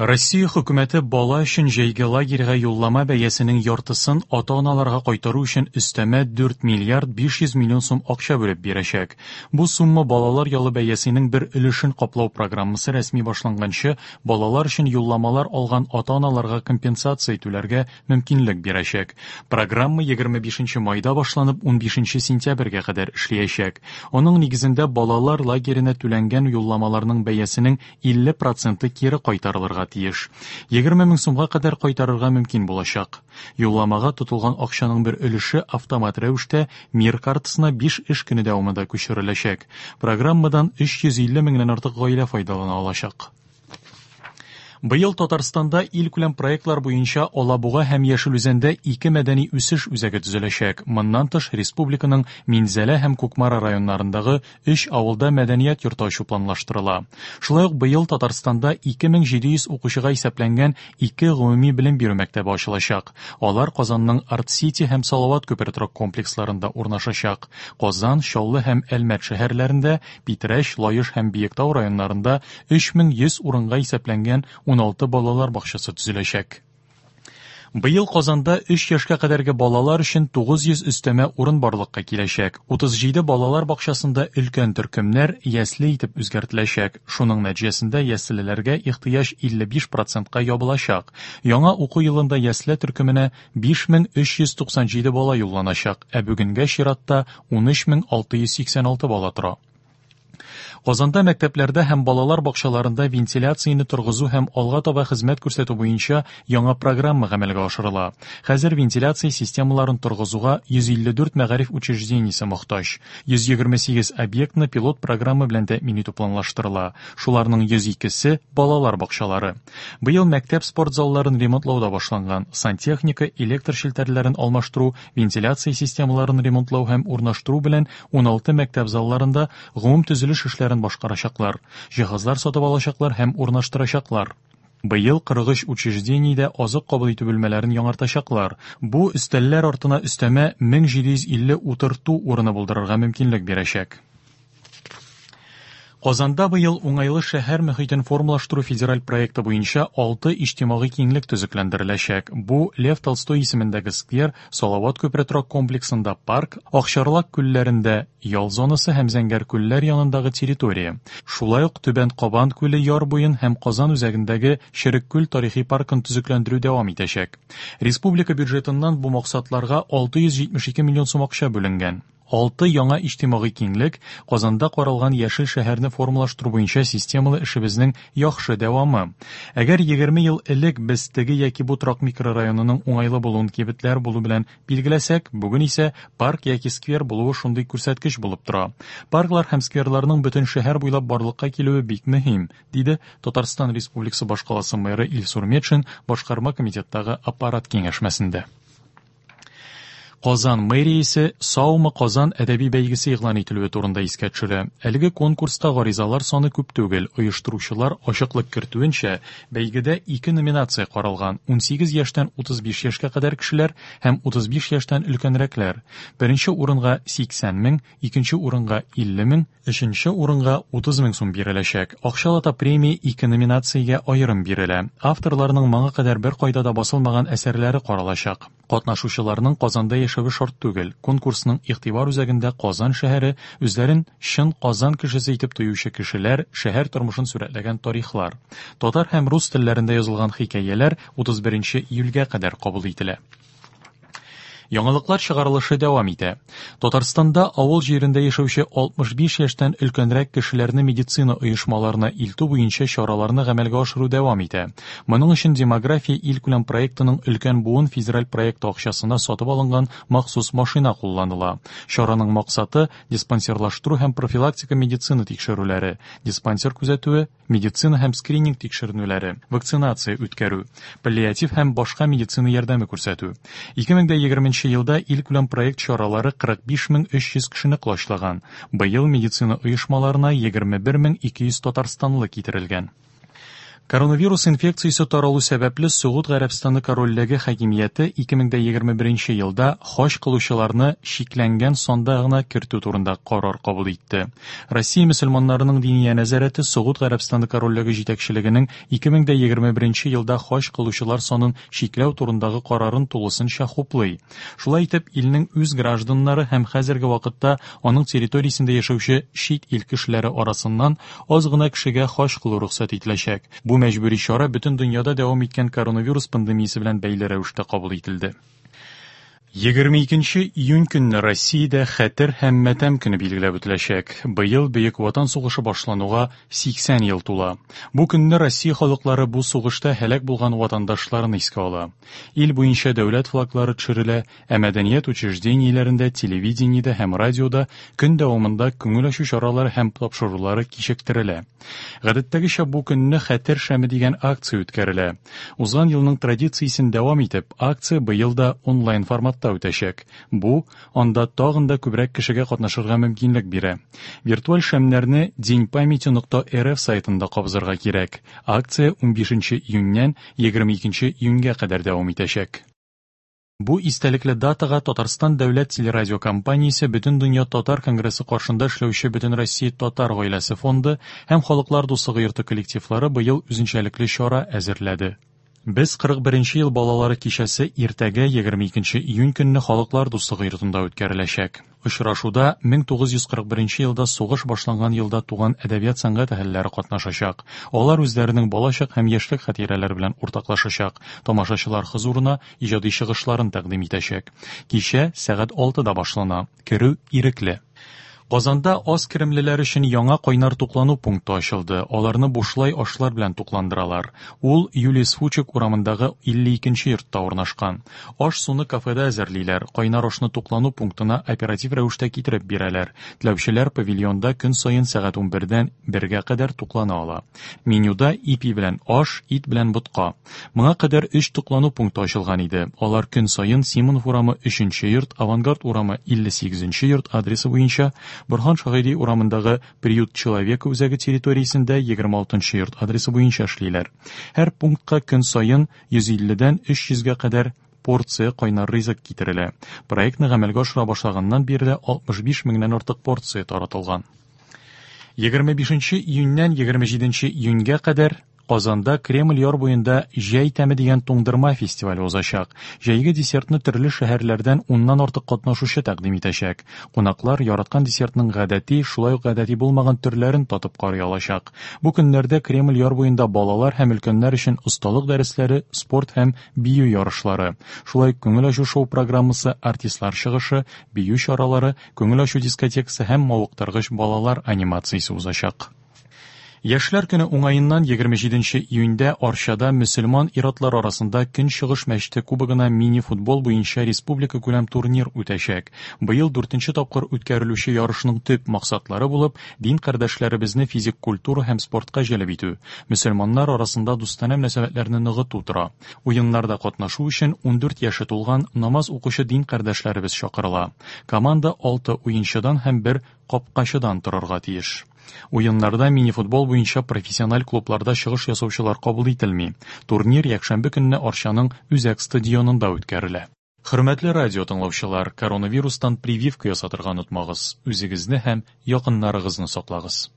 Россия хөкүмәте бала өчен җәйге лагерьга юллама бәясенең яртысын ата-аналарга кайтару өчен өстәмә 4 миллиард 500 миллион сум акча бүлеп бирәчәк. Бу сумма балалар ялы бәясенең бер өлешен каплау программасы рәсми башланганчы балалар өчен юлламалар алган ата-аналарга компенсация түләргә мөмкинлек бирәчәк. Программа 25 майда башланып 15 сентябрьгә кадәр эшләячәк. Аның нигезендә балалар лагерена түләнгән юлламаларның бәясенең 50 проценты кире кайтарылырга тиеш. 20 мең сумга кадәр кайтарырга мөмкин булачак. Юлламага тотылган акчаның бер өлеше автомат рәвештә Мир картасына 5 эш көне дәвамында күчереләчәк. Программадан 350 меңнән артык гаилә файдалана алачак. Быел Татарстанда илкүләм проектлар буенча Алабуга һәм Яшел Үзәндә ике мәдәни үсеш үзәге төзеләчәк. Моннан тыш, республиканың Минзәлә һәм Кукмара районнарындагы өч авылда мәдәният йорты ачу планлаштырыла. Шулай ук быел Татарстанда 2700 укучыга исәпләнгән ике гомуми белем бирү мәктәбе ачылачак. Алар Казанның Арт-Сити һәм Салават күпере торак комплексларында урнашачак. Казан, Чаллы һәм Әлмәт шәһәрләрендә, Питрәч, Лаеш һәм Биектау районнарында 3100 урынга исәпләнгән 16 балалар бакчасы төзеләчәк. Быел Казанда 3 яшькә кадәрге балалар өчен 900 өстәмә урын барлыкка киләчәк. 37 балалар бакчасында өлкән төркемнәр ясле итеп үзгәртеләчәк. Шуның нәтиҗәсендә яслеләргә ихтыяҗ 55 процентка ябылачак. Яңа уку елында ясле төркеменә 5397 бала юлланачак, ә бүгенгә чиратта 13686 бала тора. Казанда мәктәпләрдә һәм балалар бакчаларында вентиляцияне торгызу һәм алга таба хезмәт күрсәтү буенча яңа программа гамәлгә ашырыла. Хәзер вентиляция системаларын торгызуга 154 мәгариф учреждениесе мохтаҗ. 128 объектны пилот программа белән тәэмин итү планлаштырыла. Шуларның 102-се балалар бакчалары. Быел мәктәп спорт залларын ремонтлау да башланган. Сантехника, электр челтәрләрен алмаштыру, вентиляция системаларын ремонтлау һәм урнаштыру белән 16 мәктәп залларында гомум төзелеш эшләрен башкарачаклар, җиһазлар сатып алачаклар һәм урнаштырачаклар. Быел 43 учреждениедә азык кабул итү бүлмәләрен яңартачаклар. Бу өстәлләр артына өстәмә 1750 утырту урыны булдырырга мөмкинлек бирәчәк. Казанда быел уңайлы шәһәр мөхитен формалаштыру федераль проекты буенча 6 иҗтимагый киңлек төзекләндереләчәк. Бу Лев Толстой исемендәге сквер, Салават күпере торак комплексында парк, Акчарлак күлләрендә ял зонасы һәм Зәңгәр күлләр янындагы территория. Шулай ук Түбән Кабан күле яр буен һәм Казан үзәгендәге Черек күл тарихи паркын төзекләндерү дәвам итәчәк. Республика бюджетыннан бу максатларга 672 миллион сум акча бүленгән. Алты яңа иҗтимагый киңлек Казанда каралган яшел шәһәрне формалаштыру буенча системалы эшебезнең яхшы дәвамы. Әгәр 20 ел элек без теге яки бу торак микрорайонының уңайлы булуын кибетләр булу белән билгеләсәк, бүген исә парк яки сквер булуы шундый күрсәткеч булып тора. Парклар һәм скверларның бөтен шәһәр буйлап барлыкка килүе бик мөһим, диде Татарстан Республикасы башкаласы мэры Илсур Метшин башкарма комитеттагы аппарат киңәшмәсендә. Казан мэриясе Саумы Казан әдәби бәйгесе игълан ителүе турында искә төшерә. Әлеге конкурска гаризалар саны күп түгел. Оештыручылар ачыклык кертүенчә, бәйгедә ике номинация каралган: 18 яшьтән 35 яшькә кадәр кешеләр һәм 35 яшьтән өлкәнрәкләр. Беренче урынга 80 мең, икенче урынга 50 мең, өченче урынга 30 мең сум биреләчәк. Акчалата премия ике номинациягә аерым бирелә. Авторларның моңа кадәр беркайда да басылмаган әсәрләре каралачак. Катнашучыларның Казанда яшәве шарт түгел. Конкурсның игътибар үзәгендә Казан шәһәре, үзләрен чын Казан кешесе итеп тоючы кешеләр, шәһәр тормышын сурәтләгән тарихлар. Татар һәм рус телләрендә язылган хикәяләр 31 июльгә кадәр кабул ителә. Яңалыклар чыгарылышы дәвам итә. Татарстанда авыл җирендә яшәүче 65 яшьтән өлкәнрәк кешеләрне медицина оешмаларына илтү буенча чараларны гамәлгә ашыру дәвам итә. Моның өчен Демография илкүләм проектының өлкән буын федераль проекты акчасына сатып алынган махсус машина кулланыла. Чараның максаты диспансерлаштыру һәм профилактика медицина тикшерүләре, диспансер күзәтүе, медицина һәм скрининг тикшеренүләре, вакцинация үткәрү, паллиатив һәм башка медицина ярдәме күрсәтү. 2020 елда илкүләм проект чаралары 45300 кешене колачлаган. Быел медицина оешмаларына 21200 татарстанлы китерелгән. Коронавирус инфекциясе таралу сәбәпле Согуд Гарәбстаны Корольлеге хакимияте 2021 елда хаҗ кылучыларны чикләнгән санда гына кертү турында карар кабул итте. Россия мөселманнарының диния нәзарәте Согуд Гарәбстаны Корольлеге җитәкчелегенең 2021 елда хаҗ кылучылар санын чикләү турындагы карарын тулысынча хуплый. Шулай итеп, илнең үз гражданнары һәм хәзерге вакытта аның территориясендә яшәүче чит ил кешеләре арасыннан аз гына кешегә хаҗ кылу рөхсәт ителәчәк. Бу мәҗбүри чара бөтен дөньяда дәвам иткән коронавирус пандемиясе белән бәйле рәвештә кабул ителде. 22 июнь көнне Россиядә Хәтер һәм матәм көне билгеләп үтеләчәк. Быел Бөек Ватан сугышы башлануга 80 ел тула. Бу көнне Россия халыклары бу сугышта һәлак булган ватандашларын искә ала. Ил буенча дәүләт флаглары төшерелә, ә мәдәният учреждениеләрендә, телевидениедә һәм радиода көн дәвамында күңел ачу чаралары һәм тапшырулары кичектерелә. Гадәттәгечә бу көнне Хәтер шәме дигән акция үткәрелә. Узган елның традициясен дәвам итеп, акция быел да онлайн форматта үтәчәк. Бу анда тагын да күбрәк кешегә катнашырга мөмкинлек бирә. Виртуаль шәмнәрне деньпамяти.рф сайтында кабызырга кирәк. Акция 15 июньнән 22 июньгә кадәр дәвам итәчәк. Бу истәлекле датага Татарстан дәүләт телерадиокомпаниясе Бөтендөнья татар конгрессы каршында эшләүче Бөтенроссия татар гаиләсе фонды һәм Халыклар дуслыгы йорты коллективлары быел үзенчәлекле чара әзерләде. Без 41 ел балалары кичәсе иртәгә 22 июнь көнне Халыклар дуслыгы йортында үткәреләчәк. Очрашуда 1941 елда сугыш башланган елда туган әдәбият сәнгать әһелләре катнашачак. Алар үзләренең балачак һәм яшьлек хатирәләре белән уртаклашачак, тамашачылар хозурына иҗади чыгышларын тәкъдим итәчәк. Кичә сәгать 6-да башлана. Керү ирекле. Казанда аз керемлеләр өчен яңа кайнар туклану пункты ачылды. Аларны бушлай ашлар белән тукландыралар. Ул Юлиус Фучик урамындагы 52 йортта урнашкан. Аш-суны кафеда әзерлиләр, кайнар ашны туклану пунктына оператив рәвештә китереп бирәләр. Теләүчеләр павильонда көн саен сәгать 11-дән 1-гә кадәр туклана ала. Менюда ипи белән аш, ит белән ботка. Моңа кадәр 3 туклану пункты ачылган иде. Алар көн саен Симонов урамы 3 йорт, Авангард урамы 58 йорт адресы буенча, Борһан Шаһиди урамындагы Приют человека үзәге территориясендә 26 йорт адресы буенча эшлиләр. Һәр пунктка көн саен 150-дән 300-гә кадәр порция кайнар ризык китерелә. Проектны гамәлгә ашыра башлаганнан бирле 65 меңнән артык порция таратылган. 25 июньнән 27 июньгә кадәр Казанда Кремль яр буенда Җәй тәме дигән туңдырма фестивале узачак. Җәйге десертны төрле шәһәрләрдән уннан артык катнашучы тәкъдим итәчәк. Кунаклар яраткан десертның гадәти, шулай ук гадәти булмаган төрләрен татып карый алачак. Бу көннәрдә Кремль яр буенда балалар һәм өлкәннәр өчен осталык дәресләре, спорт һәм бию ярышлары, шулай ук күңел ачу шоу программасы, артистлар чыгышы, бию чаралары, күңел ачу дискотекасы һәм мавыктыргыч балалар анимациясе узачак. Яшьләр көне уңаеннан 27 июньдә Арчада мөселман ир-атлар арасында Көнчыгыш мәчете кубогына мини-футбол буенча республика күләм турнир үтәчәк. Быел дүртенче тапкыр үткәрелүче ярышның төп максатлары булып дин кардәшләребезне физик культура һәм спортка җәлеп итү, мөселманнар арасында дустанә мөнәсәбәтләрне ныгыту тора. Уеннарда катнашу өчен 14 яше тулган намаз укучы дин кардәшләребез чакырыла. Команда 6 уенчыдан һәм бер капкачыдан торырга тиеш. Уеннарда мини-футбол буенча профессиональ клубларда чыгыш ясаучылар кабул ителми. Турнир якшәмбе көнне Арчаның үзәк стадионында үткәрелә. Хөрмәтле радио тыңлаучылар, коронавирустан прививка ясатырга онытмагыз. Үзегезне һәм якыннарыгызны саклагыз.